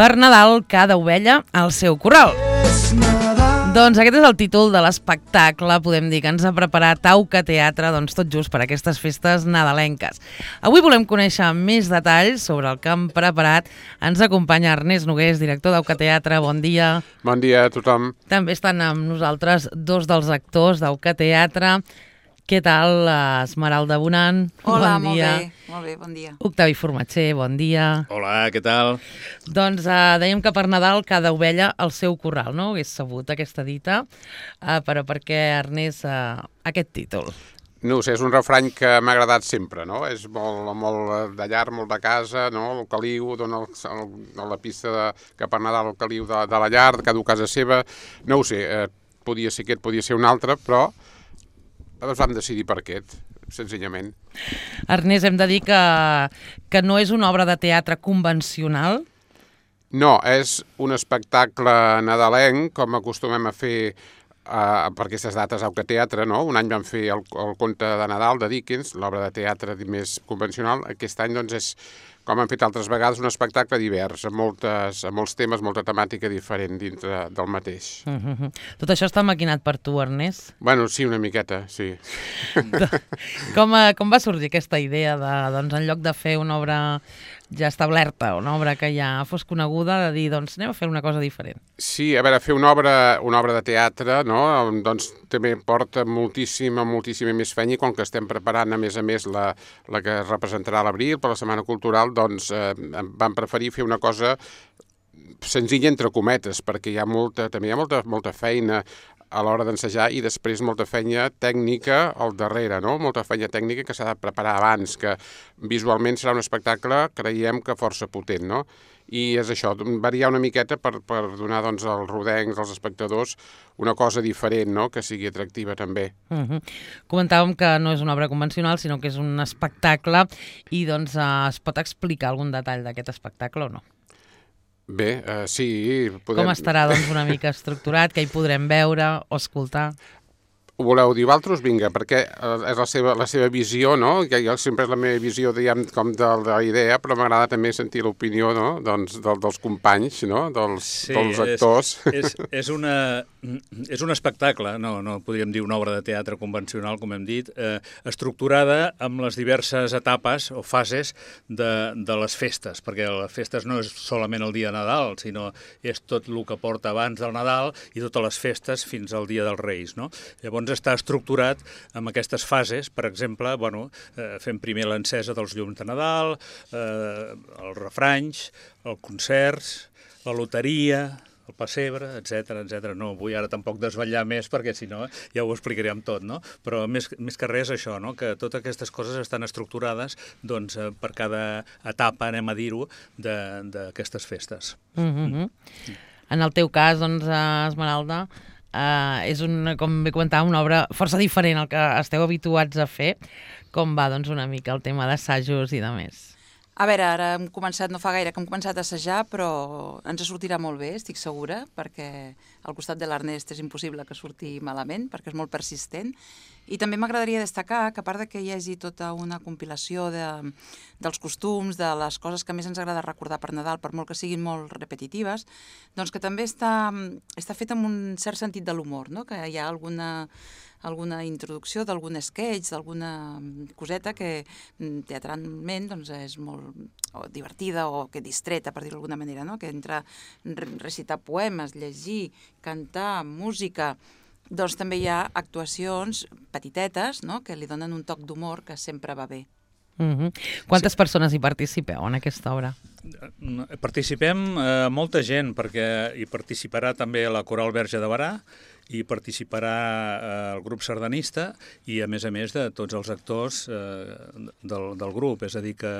Per Nadal, cada ovella al seu corral. Doncs aquest és el títol de l'espectacle, podem dir, que ens ha preparat Auca Teatre, doncs tot just per aquestes festes nadalenques. Avui volem conèixer més detalls sobre el que han preparat. Ens acompanya Ernest Nogués, director d'Auca Teatre. Bon dia. Bon dia a tothom. També estan amb nosaltres dos dels actors d'Auca Teatre. Què tal, Esmeralda Bonan? Hola, bon dia. molt bé, bon dia. Octavi Formatger, bon dia. Hola, què tal? Doncs dèiem que per Nadal cada ovella al seu corral, no? Hagués sabut aquesta dita, però per què, Ernest, aquest títol? No ho sé, és un refrany que m'ha agradat sempre, no? És molt de llar, molt de casa, no? El caliu dona la pista que per Nadal el caliu de la llar, de cada casa seva. No ho sé, podia ser aquest, podia ser un altre, però ens vam decidir per aquest, senzillament. Ernest, hem de dir que no és una obra de teatre convencional? No, és un espectacle nadalenc, com acostumem a fer per aquestes dates a Auca Teatre, no? Un any vam fer el conte de Nadal de Dickens, l'obra de teatre més convencional. Aquest any, doncs, és, com han fet altres vegades, un espectacle divers, amb molts temes, molta temàtica diferent dintre del mateix. Tot això està maquinat per tu, Ernest? Bueno, sí, una miqueta, sí. Com va sorgir aquesta idea de, doncs, en lloc de fer una obra ja establerta, una obra que ja fos coneguda, de dir, doncs, anem a fer una cosa diferent? Sí, a veure, fer una obra de teatre, no?, doncs també porta moltíssima més feina, i com que estem preparant, a més, la que es representarà a l'abril per la Setmana Cultural, doncs vam preferir fer una cosa senzilla entre cometes, perquè també hi ha molta feina a l'hora d'ensejar i després molta feina tècnica al darrere, no? Molta feina tècnica que s'ha de preparar abans, que visualment serà un espectacle, creiem que força potent, no? I és això, variar una miqueta per donar, doncs, als rodencs, als espectadors, una cosa diferent, no?, que sigui atractiva també. Comentàvem que no és una obra convencional, sinó que és un espectacle, i doncs es pot explicar algun detall d'aquest espectacle o no? Bé, sí, podem... Com estarà, doncs, una mica estructurat, que hi podrem veure o escoltar? Ho voleu dir vosaltres? Vinga, perquè és la seva visió, no? Que jo sempre és la meva visió, diguem, com de la idea, però m'agrada també sentir l'opinió, no?, doncs, dels companys, no?, dels actors. És un espectacle, no podríem dir una obra de teatre convencional, com hem dit, estructurada amb les diverses etapes o fases de les festes, perquè les festes no és solament el dia de Nadal, sinó és tot el que porta abans del Nadal i totes les festes fins al dia dels Reis, no? Llavors està estructurat amb aquestes fases. Per exemple, fem primer l'encesa dels llums de Nadal, els refranys, els concerts, la loteria, el pessebre, etc. No vull ara tampoc desvetllar més, perquè si no ja ho explicaríem tot, no? Però més que res això, no?, que totes aquestes coses estan estructurades, doncs, per cada etapa, anem a dir-ho, d'aquestes festes. En el teu cas, doncs, Esmeralda, és, com bé comentàvem, una obra força diferent al que esteu habituats a fer. Com va, doncs, una mica el tema d'assajos i de més? A veure, ara hem començat, no fa gaire que hem començat a assajar, però ens sortirà molt bé, estic segura, perquè al costat de l'Ernest és impossible que surti malament, perquè és molt persistent. I també m'agradaria destacar que, a part que hi hagi tota una compilació dels costums, de les coses que més ens agrada recordar per Nadal, per molt que siguin molt repetitives, doncs que també està fet amb un cert sentit de l'humor, no?, que hi ha alguna introducció d'algun sketch, d'alguna coseta que teatralment, doncs, és molt divertida o que distreta, per dir-ho d'alguna manera, no?, que entre recitar poemes, llegir, cantar, música, doncs també hi ha actuacions petitetes, no?, que li donen un toc d'humor que sempre va bé. Quantes persones hi participeu en aquesta obra? Participem molta gent, perquè hi participarà també la Coral Verge de Berà, hi participarà el grup sardanista i, a més, de tots els actors del grup. És a dir, que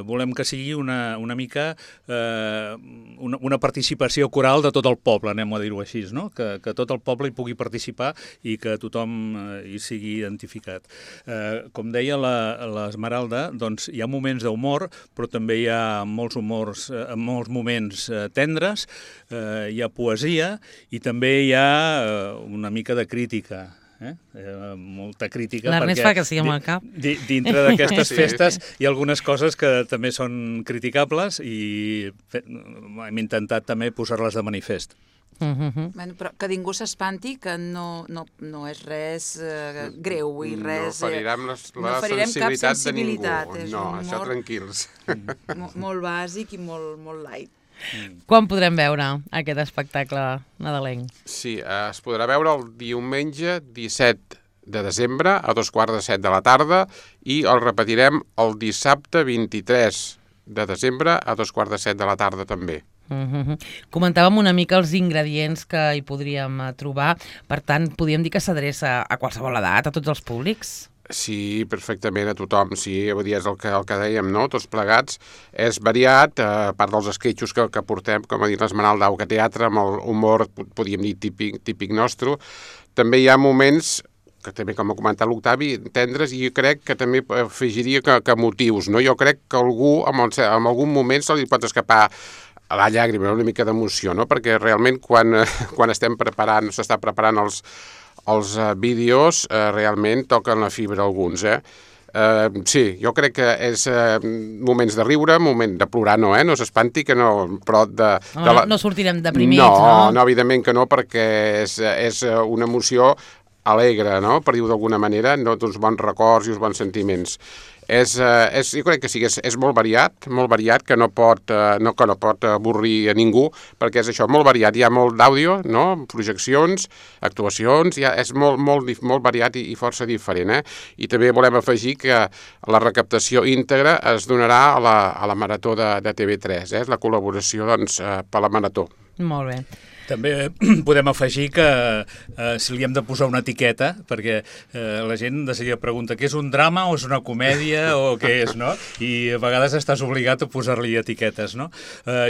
volem que sigui una mica una participació coral de tot el poble, anem a dir-ho així, no?, que tot el poble hi pugui participar i que tothom hi sigui identificat. Com deia l'Esmeralda, doncs hi ha moments d'humor, però també hi ha molts moments tendres, hi ha poesia i també hi ha una mica de crítica. molta crítica. L'Ernest fa que sí amb el cap. Dintre d'aquestes festes hi ha algunes coses que també són criticables i hem intentat també posar-les de manifest. Bueno, però que ningú s'espanti, que no és res greu i res... No ferirem la sensibilitat de ningú. No, humor, això tranquils. Molt bàsic i molt light. Quan podrem veure aquest espectacle nadalenc? Sí, es podrà veure el diumenge 17 de desembre a 2:45 de la tarda i el repetirem el dissabte 23 de desembre a 2:45 de la tarda també. Comentàvem una mica els ingredients que hi podríem trobar, per tant, podríem dir que s'adreça a qualsevol edat, a tots els públics? Sí, perfectament, a tothom, sí, és el que dèiem, no?, tots plegats. És variat, a part dels esquetxos que portem, com ha dit l'Esmeralda Auca Teatre, amb el humor, podríem dir, típic nostre. També hi ha moments que també, com ha comentat l'Octavi, tendres, i jo crec que també afegiria que motius, no? Jo crec que algú, en algun moment, se li pot escapar a la llàgrima, una mica d'emoció, no? Perquè realment quan s'està preparant els vídeos, realment toquen la fibra alguns, sí, jo crec que és moments de riure, moment de plorar, no s'espanti, que no, però no sortirem deprimits, no? No, evidentment que no, perquè és una emoció alegre, no?, per dir-ho d'alguna manera, d'uns bons records i uns bons sentiments. Jo crec que sí, és molt variat, que no pot avorrir a ningú, perquè és això, molt variat, hi ha molt d'àudio, no?, projeccions, actuacions, és molt variat i força diferent, I també volem afegir que la recaptació íntegra es donarà a la Marató de TV3, la col·laboració, doncs, per la Marató. Molt bé. També podem afegir que si li hem de posar una etiqueta, perquè la gent de seguida pregunta què és un drama o és una comèdia o què és, no? I a vegades estàs obligat a posar-li etiquetes, no?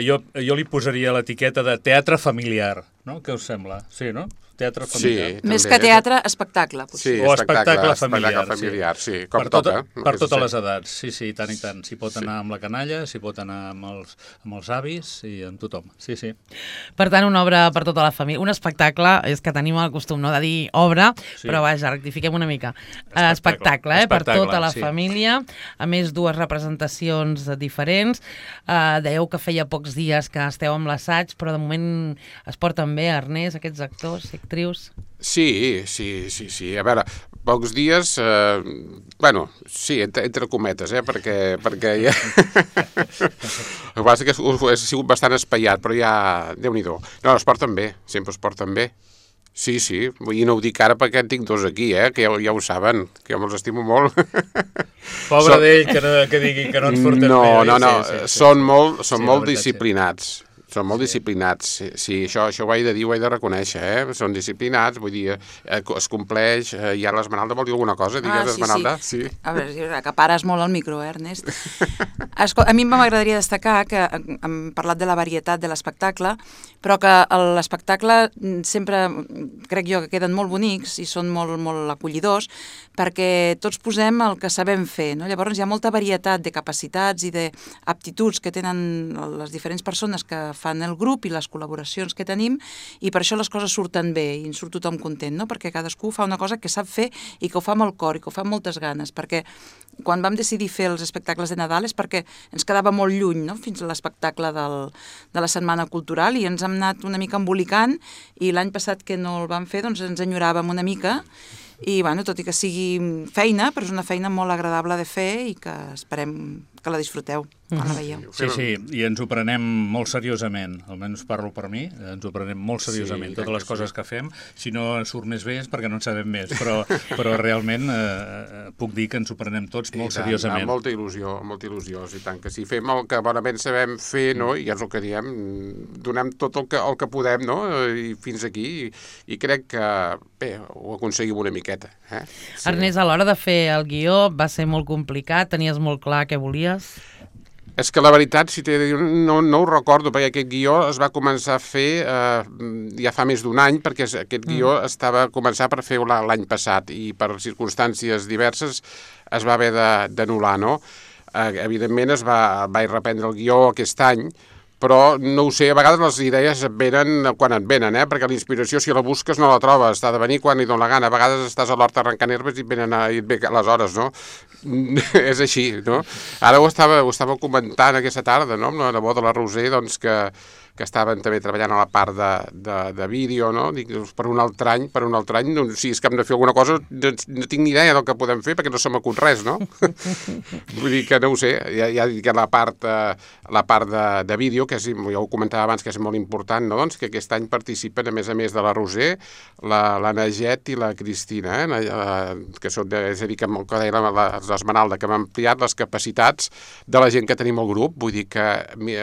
Jo li posaria l'etiqueta de teatre familiar, no? Què us sembla? Sí, no? Teatre familiar. Sí, més que teatre, espectacle, potser. Sí, o espectacle familiar, sí, com toca. Per totes les edats, sí, tant i tant. S'hi pot anar amb la canalla, s'hi pot anar amb els avis i amb tothom, sí. Per tant, una obra per tota la família. Un espectacle, és que tenim el costum, no?, de dir obra, però vaja, rectifiquem una mica. Espectacle, per tota la família, a més 2 representacions diferents. Dèieu que feia pocs dies que esteu amb l'assaig, però de moment es porten bé, Ernest, aquests actors i actrius? Sí. A veure, pocs dies, sí, entre cometes, perquè ja... El que passa que ha sigut bastant espaiat, però ja, Déu-n'hi-do. No, es porten bé, sempre es porten bé. Sí, i no ho dic ara perquè en tinc 2 aquí, que ja ho saben, que jo me'ls estimo molt. Pobre d'ell, que digui que no et surten bé. No, són molt disciplinats. Són molt disciplinats, sí, això ho he de dir, ho he de reconèixer, Són disciplinats, vull dir, es compleix, i ara l'Esmeralda vol dir alguna cosa, digues, Esmeralda? Sí. A veure, que pares molt el micro, Ernest? A mi m'agradaria destacar que hem parlat de la varietat de l'espectacle, però que l'espectacle sempre, crec jo, que queden molt bonics i són molt acollidors, perquè tots posem el que sabem fer, no? Llavors hi ha molta varietat de capacitats i d'aptituds que tenen les diferents persones que fan el grup i les col·laboracions que tenim, i per això les coses surten bé i en surt tothom content, no? Perquè cadascú fa una cosa que sap fer i que ho fa amb el cor i que ho fa amb moltes ganes, perquè quan vam decidir fer els espectacles de Nadal és perquè ens quedava molt lluny, no?, fins a l'espectacle de la Setmana Cultural, i ens hem anat una mica embolicant, i l'any passat que no el vam fer, doncs ens enyoràvem una mica, i bueno, tot i que sigui feina, però és una feina molt agradable de fer i que esperem que la disfruteu quan la veieu. Sí, i ens ho prenem molt seriosament, almenys parlo per mi, ens ho prenem molt seriosament, totes les coses que fem. Si no surt més bé és perquè no en sabem més, però realment puc dir que ens ho prenem tots molt seriosament. Amb molta il·lusió, i tant que si fem el que bonament sabem fer, no? I és el que diem, donem tot el que podem, no? I fins aquí, i crec que bé, ho aconseguim una miqueta. Sí. Ernest, a l'hora de fer el guió va ser molt complicat, tenies molt clar què volies? És que la veritat, si t'he de dir, no ho recordo, perquè aquest guió es va començar a fer ja fa més d'1 any, perquè aquest guió estava començat per fer l'any passat i per circumstàncies diverses es va haver d'anul·lar, no? Evidentment es va reprendre el guió aquest any, però no ho sé, a vegades les idees et venen quan et venen, perquè la inspiració, si la busques, no la trobes, t'ha de venir quan li dona la gana. A vegades estàs a l'hort arrencant herbes i et ve les hores, no? És així, no? Ara ho estava comentant aquesta tarda, no?, amb la nebot de la Roser, doncs que estaven també treballant a la part de vídeo, no? Dic, per un altre any, doncs, si és que hem de fer alguna cosa, no tinc ni idea del que podem fer, perquè no se m'acut res, no? Vull dir que no ho sé, ja dic que la part de vídeo, que ja ho comentava abans, que és molt important, no? Doncs que aquest any participen, a més de la Roser, la Naget i la Cristina, que són, és a dir, que deia l'Esmeralda, que hem ampliat les capacitats de la gent que tenim al grup. Vull dir que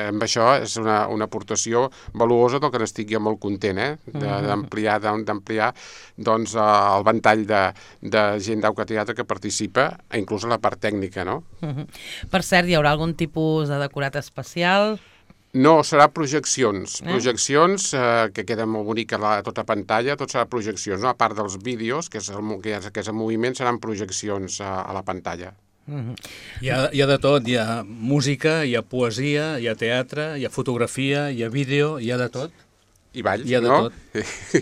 amb això és una aportació valuosa del que n'estic jo molt content, d'ampliar doncs el ventall de gent d'Auca Teatre que participa, inclús a la part tècnica, no? Per cert, hi haurà algun tipus de decorat especial? No, serà projeccions. Projeccions que queda molt bonica a tota pantalla, tot serà projeccions, no? A part dels vídeos, que és el moviment, seran projeccions a la pantalla. Hi ha de tot, hi ha música, hi ha poesia, hi ha teatre, hi ha fotografia, hi ha vídeo, hi ha de tot. I ball, hi ha de no? Tot.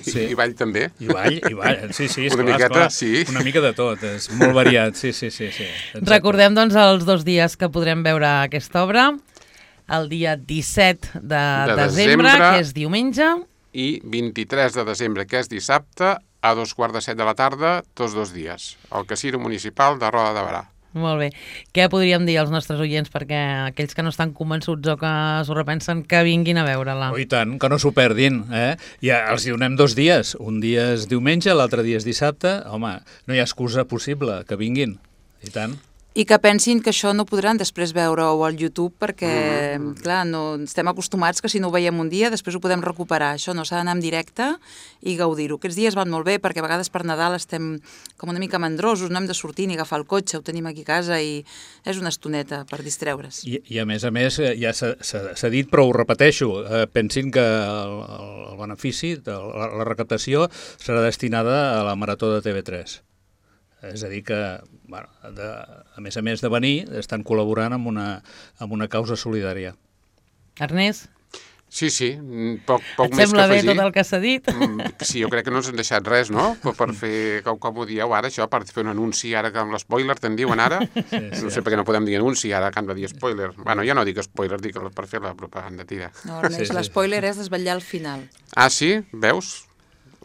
Sí. I ball també. I ball, sí, una miqueta, sí. Una mica de tot, és molt variat, sí. Exacte. Recordem, doncs, els 2 dies que podrem veure aquesta obra, el dia 17 de desembre, que és diumenge, i 23 de desembre, que és dissabte, a 2:15 de la tarda, tots 2 dies, al Casino Municipal de Roda de Berà. Molt bé. Què podríem dir als nostres oients perquè aquells que no estan convençuts o que s'ho repensen que vinguin a veure-la? Oh, i tant, que no s'ho perdin. Ja els hi donem 2 dies. Un dia és diumenge, l'altre dia és dissabte. Home, no hi ha excusa possible que vinguin. I tant. I que pensin que això no podran després veure-ho al YouTube perquè, clar, no estem acostumats que si no ho veiem un dia després ho podem recuperar. Això no, s'ha d'anar en directe i gaudir-ho. Aquests dies van molt bé perquè a vegades per Nadal estem com una mica mandrosos, no hem de sortir ni agafar el cotxe, ho tenim aquí a casa i és una estoneta per distreure's. I a més, ja s'ha dit, però ho repeteixo, pensin que el benefici, la recaptació, serà destinada a la Marató de TV3. És a dir que, a més de venir, estan col·laborant amb una causa solidària. Ernest? Sí, poc més que afegir. Et sembla bé tot el que s'ha dit? Sí, jo crec que no ens han deixat res, no? Per fer, com ho dieu ara, això, per fer un anunci ara, que amb l'spoiler te'n diuen ara. No sé per què no podem dir anunci ara, que han de dir spoiler. Bueno, ja no dic spoiler, dic per fer la propaganda, tira. No, Ernest, l'espoiler és desvetllar al final. Ah, sí? Veus?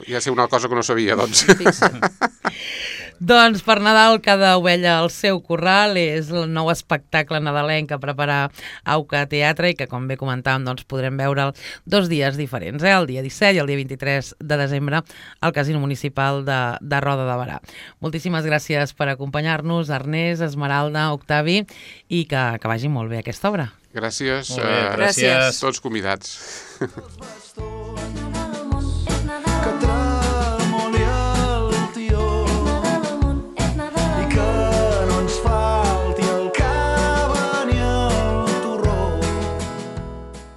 Ja sé una cosa que no sabia, doncs. Doncs per Nadal cada ovella al seu corral és el nou espectacle nadalenc que prepara Auca Teatre i que, com bé comentàvem, doncs podrem veure'l 2 dies diferents, el dia 17 i el dia 23 de desembre al Casino Municipal de Roda de Berà. Moltíssimes gràcies per acompanyar-nos, Ernest, Esmeralda, Octavi, i que vagi molt bé aquesta obra. Gràcies. Molt bé, gràcies. Tots convidats.